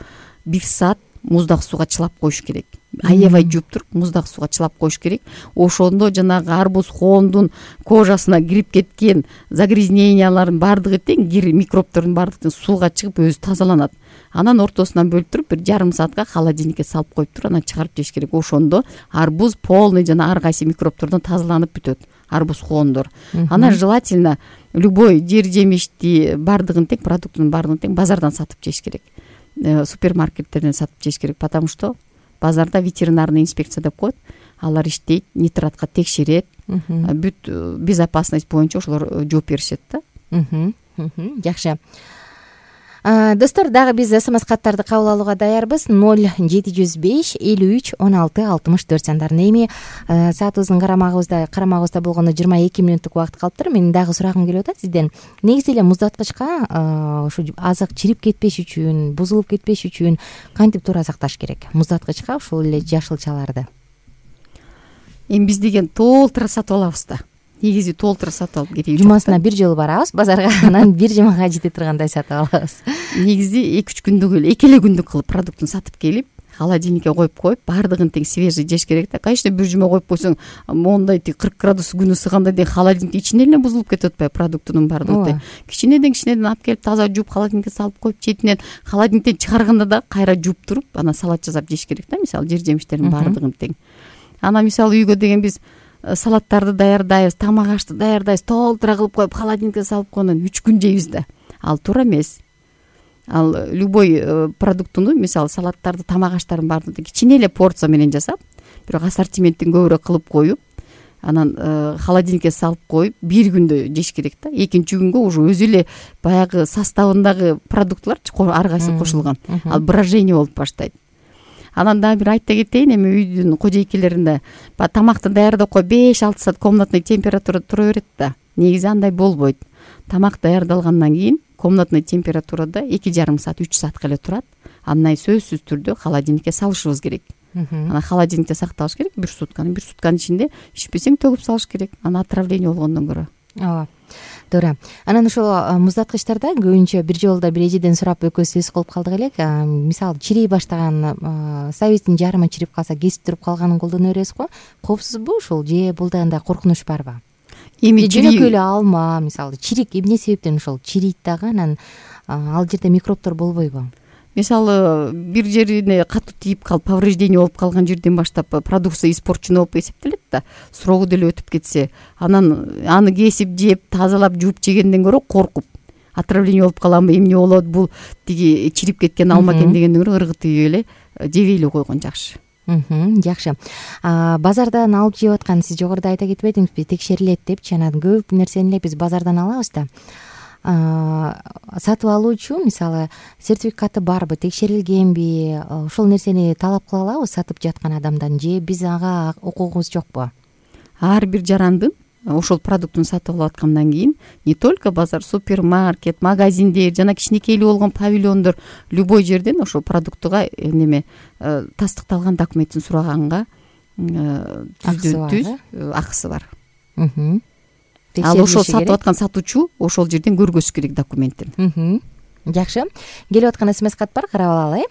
C: бир саат муздак сууга чылап коюш керек. Аябай жууп туруп, муздак сууга чылап коюш керек. Ошондо жанагы арбуз, коондун кожасына кирип кеткен загрязнениялардын баардыгы тең, кир микробтордун баардыгы сууга чыгып өзү тазаланат. Анан ортосунан бөлүп туруп, бир жарым саатка холодильникке салып коюп туруп, анан чыгарып жеш керек. Ошондо арбуз полный жана ар кайсы микробтордон тазаланып бүтөт. Арбуз, коондор. Анан желательно любой жер жемишти баардыгын тең, продуктунун баардыгын тең базардан сатып жеш керек. Супермаркеттерден сатып жеш керек, потому что базарда ветеринарный инспекция деп коет, алар иштейт, нитратка текшерет, бүт безопасность боюнча ошолор жооп беришет да.
B: Жакшы. Достор, дагы биз смс каттарды кабыл алууга даярбыз. ноль жети жүз беш элүү үч он алты алтымыш төрт сандарына. Эми саатыбыздын карамагыбызда карамагыбызда болгондо жыйырма эки мүнөттүк убакыт калыптыр. Менин дагы сурагым келип атат сизден. Негизи эле муздаткычка ушу азык чирип кетпеш үчүн, бузулуп кетпеш үчүн кантип туура сакташ керек? Муздаткычка ушул эле жашылчаларды.
C: Эми биз деген толтура сатып алабыз да. Негизи толтура сатып алып кереги жок.
B: Жумасына бир жолу барабыз базарга, анан бир жумага жете тургандай сатып алабыз.
C: Негизи эки үч күндүк эле, эки эле күндүк кылып продуктун сатып келип, холодильникке коюп коюп, баардыгын тең свежий жеш керек да. Конечно, бир жума коюп койсоң, мондай кырк градус күн ысыганда тең холодильниктин ичинде эле бузулуп кетип атпайбы продуктунун баардыгы тең. Кичинеден кичинеден алып келип таза жууп холодильникке салып коюп, четинен холодильниктен чыгарганда да кайра жууп туруп, анан салат жасап жеш керек да. Мисалы жер жемиштердин баардыгын тең. Анан мисалы үйгө деген биз салаттарды даярдайбыз, тамак ашты даярдайбыз, толтура кылып коюп холодильникке салып койгондон үч күн жейбиз да. Ал туура эмес. Ал любой продуктуну, мисалы салаттарды, тамак аштардын баардыгын кичине эле порция менен жасап, бирок ассортименттин көбүрөөк кылып коюп, анан холодильникке салып коюп, бир күндө жеш керек да. Экинчи күнгө уже өзү эле баягы составындагы продуктлар ар кайсы кошулган. Ал брожение болуп баштайт. Анан дагы бир айта кетейин, эми үйдүн кожойкелеринде тамакты даярдап коюп беш алты саат комнатный температурада тура берет да. Негизи андай болбойт. Тамак даярдалгандан кийин комнатный температурада эки жарым саат, үч саатка эле турат. Андан сөзсүз түрдө холодильникке салышыбыз керек. Анан холодильникте сакталыш керек бир сутканы, бир сутканын ичинде ичпесең төгүп салыш керек. Анан отравление болгондон көрө.
B: Ооба. Туура. Анан ошол муздаткычтарда көбүнчө бир жолдо бир эжеден сурап экөөбүз сөз кылып калдык элек. Мисалы чирей баштаган сабиздин жарымы чирип калса, кесип туруп калганын колдоно беребиз го. Коопсузбу ушул же бул дагы коркунуч барбы? Эми жөнөкөй эле алма, мисалы чирик эмне себептен ошол чирийт дагы, анан ал жерде микробтор болбойбу?
C: Мисалы бир жерине катуу тийип калып, повреждение болуп калган жерден баштап продукция испорченный болуп эсептелет да. Срогу деле өтүп кетсе, анан аны кесип жеп, тазалап, жууп жегенден көрө коркуп, отравление болуп каламбы, эмне болот, бул тиги чирип кеткен алма экен дегенден көрө ыргытып эле жебей эле койгон жакшы.
B: Жакшы. Базардан алып жеп аткан, сиз жогоруда айта кетпедиңизби, текшерилет депчи, анан көп нерсени эле биз базардан алабыз да. сатып алуучу мисалы сертификаты барбы, текшерилгенби, ошол нерсени талап кыла алабыз сатып жаткан адамдан, же биз ага укугубуз жокпу?
C: Ар бир жарандын ошол продуктун сатып алып аткандан кийин не только базар, супермаркет, магазиндер жана кичинекейлүү болгон павильондор любой жерден ошол продуктуга неме тастыкталган документин сураганга түздөн түз акысы бар. Ал ошол сатып аткан сатуучу ошол жерден көргөзүш керек документин.
B: Жакшы. Келип аткан смс кат бар, карап алалы.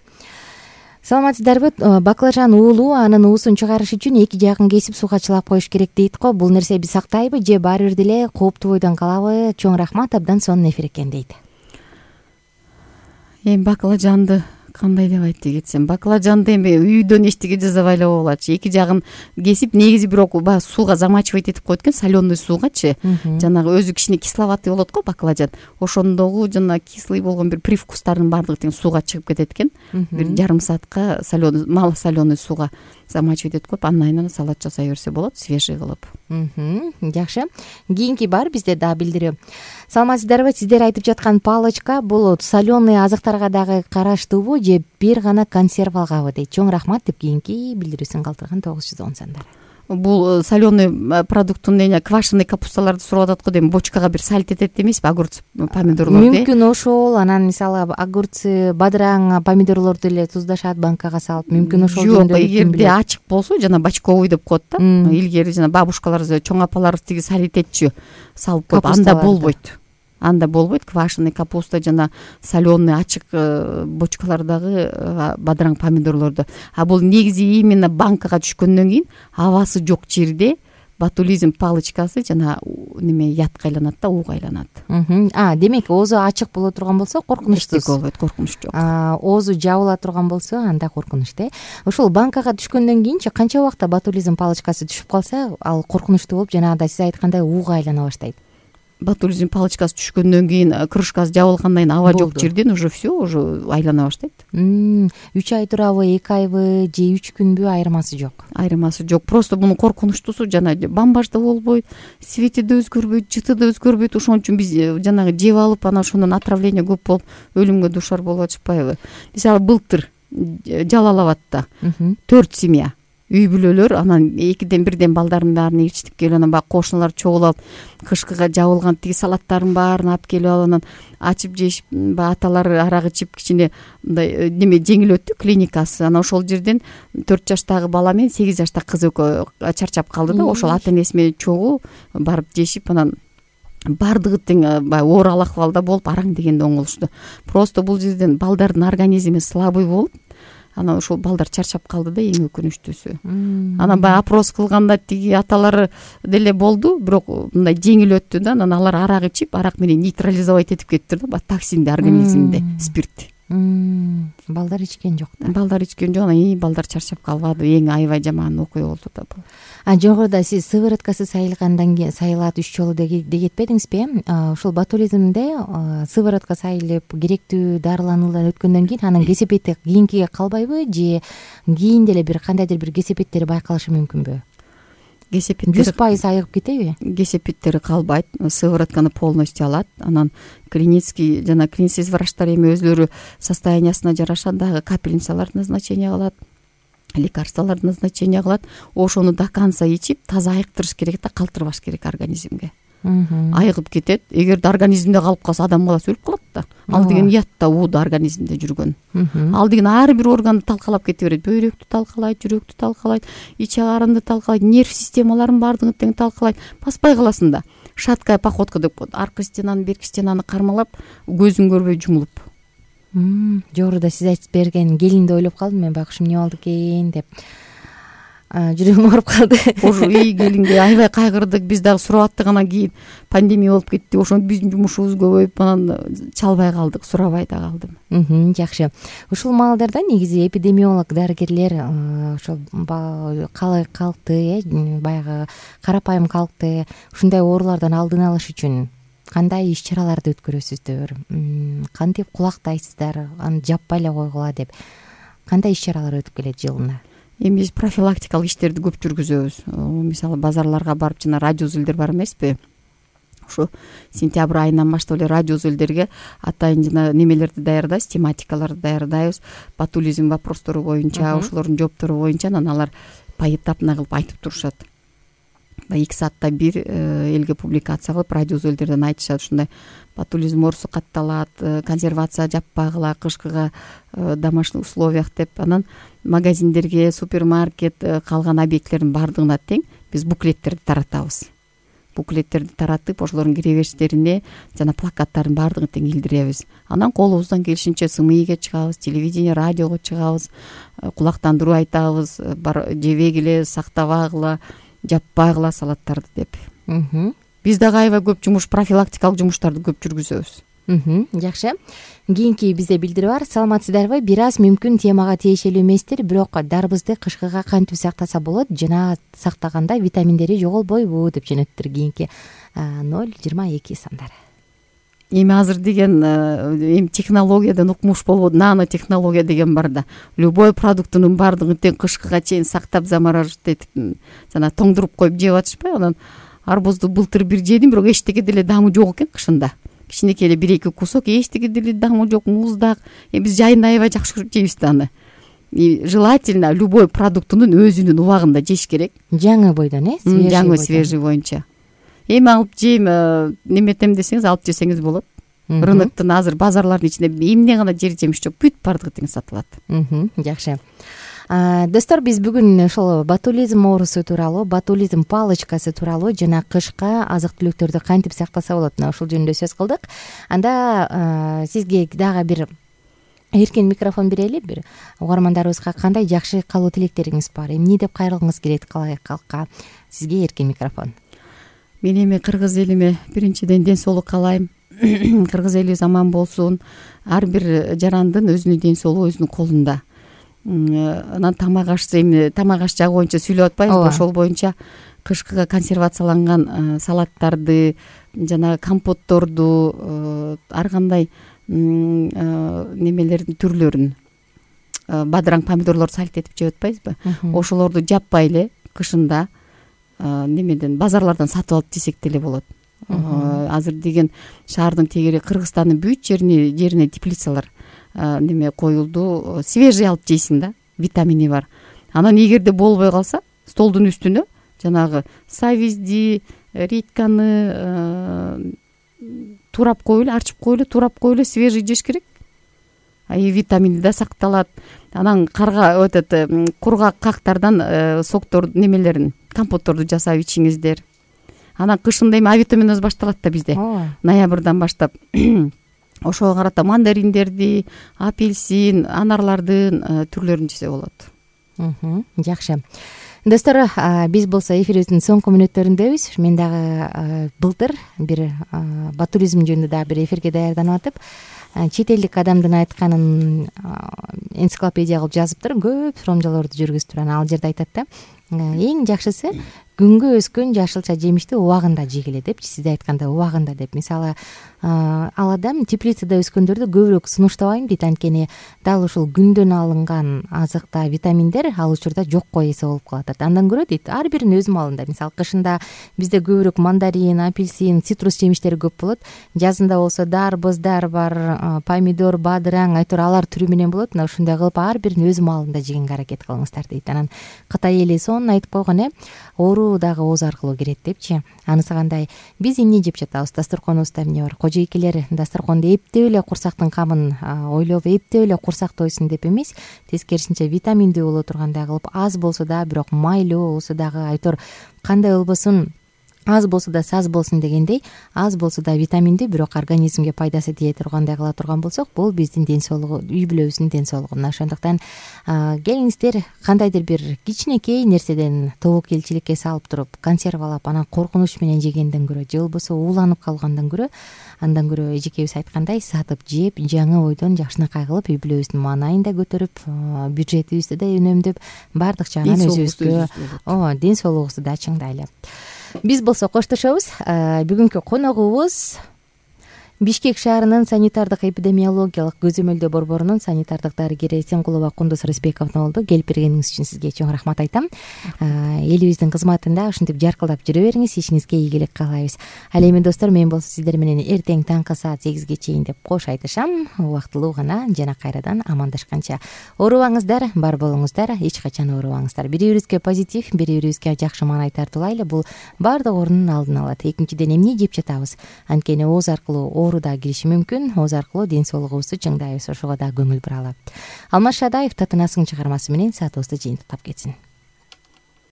B: Саламатсыздарбы? Баклажан уулуу, анын уусун чыгарыш үчүн эки жагын кесип сууга чылап коюш керек дейт го. Бул нерсе биз сактайбы же баары бир деле кооптуу бойдон калабы? Чоң рахмат, абдан сонун эфир экен дейт.
C: Эми баклажанды кандай деп айтып кетсем, баклажанды эми үйдөн эчтеке жасабай эле болочу. Эки жагын кесип, негизи бирок баягы сууга замачивать этип коет экен, соленый суугачы. Жанагы өзү кичине кисловатый болот го баклажан. Ошондогу жана кислый болгон бир привкустардын баардыгы тең сууга чыгып кетет экен. Бир жарым саатка соленый, мало соленый сууга замачивать этип коюп, андан кийин салат жасай берсе болот, свежий кылып.
B: Жакшы. Кийинки бар бизде да билдирүү. Саламатсыздарбы? Сиздер айтып жаткан палочка бул соленый азыктарга дагы караштуубу же бир гана консервалгабы дейт. Чоң рахмат деп кийинки билдирүүсүн калтырган тогуз жүз он сандар.
C: Бул соленый продукттун эне квашеный капусталарды сурап атат го дейм, бочкага бир салт этет эмеспи, огурц, помидорлорду?
B: Мүмкүн ошол, анан мисалы огурцы, бадыраң, помидорлорду эле туздашат, банкага салып, мүмкүн ошол жөнүндө.
C: Жок, эгерде ачык болсо, жана бочковый деп коет да. Илгери жана бабушкалар, чоң апаларыбыз тиги салт этетчү, салып коюп, анда болбойт. Анда болбойт. Квашеный капуста жана соленый ачык бочкалардагы бадыраң, помидорлорду. А бул негизи именно банкага түшкөндөн кийин абасы жок жерде ботулизм палочкасы жана неме ятка айланат да, ууга айланат.
B: А, демек оозу ачык боло турган болсо коркунучсуз.
C: болбойт, коркунуч жок.
B: Оозу жабыла турган болсо анда коркунуч да. Ошол банкага түшкөндөн кийинчи канча убакта ботулизм палочкасы түшүп калса, ал коркунучтуу болуп, жанагыдай сиз айткандай ууга айлана баштайт.
C: Ботулизм палочкасы түшкөндөн кийин, крышкасы жабылгандан кийин аба жок жерден уже все, уже айлана баштайт.
B: үч ай турабы, эки айбы же үч күнбү, айырмасы жок.
C: Айырмасы жок. Просто мунун коркунучтуусу жана бамбаж да болбойт, свети да өзгөрбөйт, жыты да өзгөрбөйт. Ошон үчүн биз жанагы жеп алып, анан ошондон отравление көп болуп, өлүмгө дуушар болуп атышпайбы? Мисалы былтыр Жалал абадта төрт семья үй бүлөлөр, анан экиден бирден балдарын баарын ээрчитип келип, анан баягы кошуналар чогулуп, кышкыга жабылган тиги салаттарын баарын алып келип алып, анан ачып жешип, баягы аталары арак ичип, кичине мындай неме жеңил өттү клиникасы. Анан ошол жерден төрт жаштагы бала менен сегиз жаштагы кыз экөө чарчап калды да, ошол ата энеси менен чогуу барып жешип, анан баардыгы тең баягы оорал акыбалда болуп, араң дегенде оңолушту. Просто бул жерден балдардын организми слабый болуп, анан ошол балдар чарчап калды да, эң өкүнүчтүүсү. Анан баягы опрос кылганда тиги аталары деле болду, бирок мындай жеңил өттү да, анан алар арак ичип, арак менен нейтрализовать этип кетти да, баягы токсинди организминде, спирт.
B: Балдар ичкен жок да.
C: Балдар ичкен жок, анан балдар чарчап калбады. Эң аябай жаман окуя болду да бул.
B: А жогоруда сиз сывороткасы сайылгандан кийин сайылат үч жолу деп кетпедиңизби? Ошол ботулизмде сыворотка сайылып, керектүү дарылануулар өткөндөн кийин анын кесепети кийинкиге калбайбы, же кийин деле бир кандайдыр бир кесепеттери байкалышы мүмкүнбү?
C: Кесепеттери
B: жүз пайыз айыгып кетеби?
C: Кесепеттери калбайт, сыворотканы полностью алат. Анан клинический жана клинический врачтар эми өзлөрү состояниясына жараша дагы капельницаларды назначение кылат, лекарстволорду назначение кылат. Ошону до конца ичип, таза айыктырыш керек да, калтырбаш керек организмге. Айыгып кетет. Эгерде организмде калып калса, адам баласы өлүп калат да. Ал деген ят да, ууда организмде жүргөн. Ал деген ар бир органды талкалап кете берет. Бөйрөктү талкалайт, жүрөктү талкалайт, ич агарынды талкалайт, нерв системаларын баардыгын тең талкалайт. Баспай каласың да. Шаткая походка деп коет. Аркы стенаны, берки стенаны кармалап, көзүң көрбөй жумулуп.
B: Жогоруда сиз айтып берген келинди ойлоп калдым мен, байкуш эмне болду экен деп. Жүрөгүм ооруп калды.
C: Ошо үй келинге аябай кайгырдык. Биз дагы сурап аттык, анан кийин пандемия болуп кетти. Ошондо биздин жумушубуз көбөйүп, анан чалбай калдык, сурабай да калдым.
B: Жакшы. Ушул маалдарда негизи эпидемиолог дарыгерлер ошол калкты, баягы карапайым калкты, ушундай оорулардан алдын алыш үчүн кандай иш чараларды өткөрөсүздөр? Кантип кулактайсыздар? Аны жаппай эле койгула деп. Кандай иш чаралар өтүп келет жылына?
C: Эми биз профилактикалык иштерди көп жүргүзөбүз. Мисалы базарларга барып, жана радио зилдер бар эмеспи? ушу сентябрь айынан баштап эле радио үзөлдөргө атайын жана немелерди даярдайбыз, тематикаларды даярдайбыз. Ботулизм вопростору боюнча, ошолордун жооптору боюнча анан алар поэтапно кылып айтып турушат. Баягы эки саатта бир элге публикация кылып радио үзөлдөрдөн айтышат. Ушундай ботулизм оорусу катталат, консервация жаппагыла кышкыга домашний условиях деп. Анан магазиндерге, супермаркет, калган объекттердин баардыгына тең биз буклеттерди таратабыз. Буклеттерди таратып, ошолордун киребериштерине жана плакаттардын баардыгын тең илдиребиз. Анан колубуздан келишинче СМИге чыгабыз, телевидение, радиого чыгабыз, кулактандыруу айтабыз, жебегиле, сактабагыла, жаппагыла салаттарды деп. Биз дагы аябай көп жумуш, профилактикалык жумуштарды көп жүргүзөбүз.
B: Жакшы. Кийинки бизде билдирүү бар. Саламатсыздарбы? Бир аз мүмкүн темага тиешелүү эместир, бирок дарбызды кышкыга кантип сактаса болот жана сактаганда витаминдери жоголбойбу деп жөнөттүр кийинки ноль жыйырма эки сандары.
C: Эми азыр деген эми технологиядан укмуш болбоду, нано технология деген бар да. Любой продуктунун баардыгын тең кышкыга чейин сактап, замораживать этип жана тоңдуруп коюп жеп атышпайбы? Анан арбузду былтыр бир жедим, бирок эчтеке деле даамы жок экен кышында. Кичинекей эле бир эки кусок, эчтеке деле даамы жок, муздак. Эми биз жайында аябай жакшы көрүп жейбиз да аны. И желательно любой продуктунун өзүнүн убагында жеш керек.
B: Жаңы бойдон, э?
C: Жаңы, свежий боюнча. Эми алып жейм, неметем десеңиз алып жесеңиз болот. Рыноктун азыр базарлардын ичинде эмне гана жер жемиш жок, бүт баардыгы тең сатылат.
B: Жакшы. Достор, биз бүгүн ошол ботулизм оорусу тууралуу, ботулизм палочкасы тууралуу жана кышка азык-түлүктөрдү кантип сактаса болот, ошол жөнүндө сөз кылдык. Анда сизге дагы бир эркен микрофон берели, бир угармандарыбызга кандай жакшы каалоо тилектериңиз бар, эмне деп кайрылгыңыз келет калкка? Сизге эркен микрофон.
C: Мен эми кыргыз элиме биринчиден ден соолук каалайм. Кыргыз элибиз аман болсун. Ар бир жарандын өзүнүн ден соолугу өзүнүн колунда. Анан тамак ашса, эми тамак аш жагы боюнча сүйлөп атпайбызбы? Ошол боюнча кышкыга консервацияланган салаттарды жана компотторду, ар кандай немелердин түрлөрүн, бадыраң помидорлорду сальт этип жеп атпайбызбы? Ошолорду жаппай эле кышында немеден базарлардан сатып алып жесек деле болот. Азыр деген шаардын тегери Кыргызстандын бүт жерине жерине теплицалар неме коюлду. Свежий алып жейсиң да, витамини бар. Анан эгерде болбой калса, столдун үстүнө жанагы савизди, редьканы турап коелу, арчып коелу, турап коелу, свежий жеш керек. И витамини да сакталат. Анан карга өтөт, кургак кактардан соктор немелерин, компотторду жасап ичиңиздер. Анан кышында эми А витаминоз башталат да бизде. Ноябрдан баштап. Ошого карата мандариндерди, апельсин, анарлардын түрлөрүн жесе болот.
B: Жакшы. Достор, биз болсо эфирибиздин соңку мүнөттөрүндөбүз. Мен дагы былтыр бир ботулизм жөнүндө дагы бир эфирге даярданып атып, чет элдик адамдын айтканын энциклопедия кылып жазыптыр, көп суромжолорду жүргүзүптүр. Анан ал жерде айтат да, эң жакшысы күнгө өскөн жашылча жемишти убагында жегиле депчи, сиз айткандай убагында деп. Мисалы, ал адам теплицада өскөндөрдү көбүрөөк сунуштабайм дейт, анткени дал ушул күндөн алынган азыкта витаминдер ал учурда жокко эсе болуп калат. Андан көрө дейт, ар биринин өз маалында. Мисалы, кышында бизде көбүрөөк мандарин, апельсин, цитрус жемиштери көп болот. Жазында болсо дарбыздар бар, помидор, бадыраң, айтор алар түрү менен болот. Мына ушундай кылып ар биринин өз маалында жегенге аракет кылыңыздар дейт. Анан Кытай эли сонун айтып койгон, э, оору дагы ооз аркылуу кирет депчи. Анысы кандай? Биз эмне жеп жатабыз? Дасторконубузда эмне бар? Кожойкелер дасторконду эптеп эле курсактын камын ойлоп, эптеп эле курсак тойсун деп эмес, тескерисинче витаминдүү боло тургандай кылып, аз болсо да, бирок майлуу болсо дагы, айтор кандай болбосун, аз болсо да саз болсун дегендей, аз болсо да витаминдүү, бирок организмге пайдасы тие тургандай кыла турган болсок, бул биздин ден соолугу, үй бүлөбүздүн ден соолугу. Ошондуктан келиңиздер, кандайдыр бир кичинекей нерседен тобокелчиликке салып туруп, консервалап, анан коркунуч менен жегенден көрө, же болбосо ууланып калгандан көрө, андан көрө эжекебиз айткандай, сатып жеп, жаңы ойдон жакшынакай кылып, үй бүлөбүздүн маанайын да көтөрүп, бюджетибизди да үнөмдөп, баардык жагынан өзүбүзгө, ооба, ден соолугубузду да чыңдайлы. Биз болсо коштошобуз. Бүгүнкү коногубуз Бишкек шаарынын санитардык эпидемиологиялык көзөмөлдөө борборунун санитардык дарыгери Эсенкулова Кундуз Рысбековна болду. Келип бергениңиз үчүн сизге чоң рахмат айтам. Элибиздин кызматында ушинтип жаркылдап жүрө бериңиз, ишиңизге ийгилик каалайбыз. Ал эми достор, мен болсо сиздер менен эртең таңкы саат сегизге чейин деп кош айтышам. Убактылуу гана жана кайрадан амандашканча оорубаңыздар, бар болуңуздар, эч качан оорубаңыздар. Бири бирибизге позитив, бири бирибизге жакшы маанай тартуулайлы. Бул баардык оорунун алдын алат. Экинчиден, эмне жеп жатабыз? Анткени ооз аркылуу оору да кириши мүмкүн. Ооз аркылуу ден соолугубузду чыңдайбыз. Ошого да көңүл буралы. Алмаз Шадаев Татынасың чыгармасы менен саатыбызды жыйынтыктап кетсин.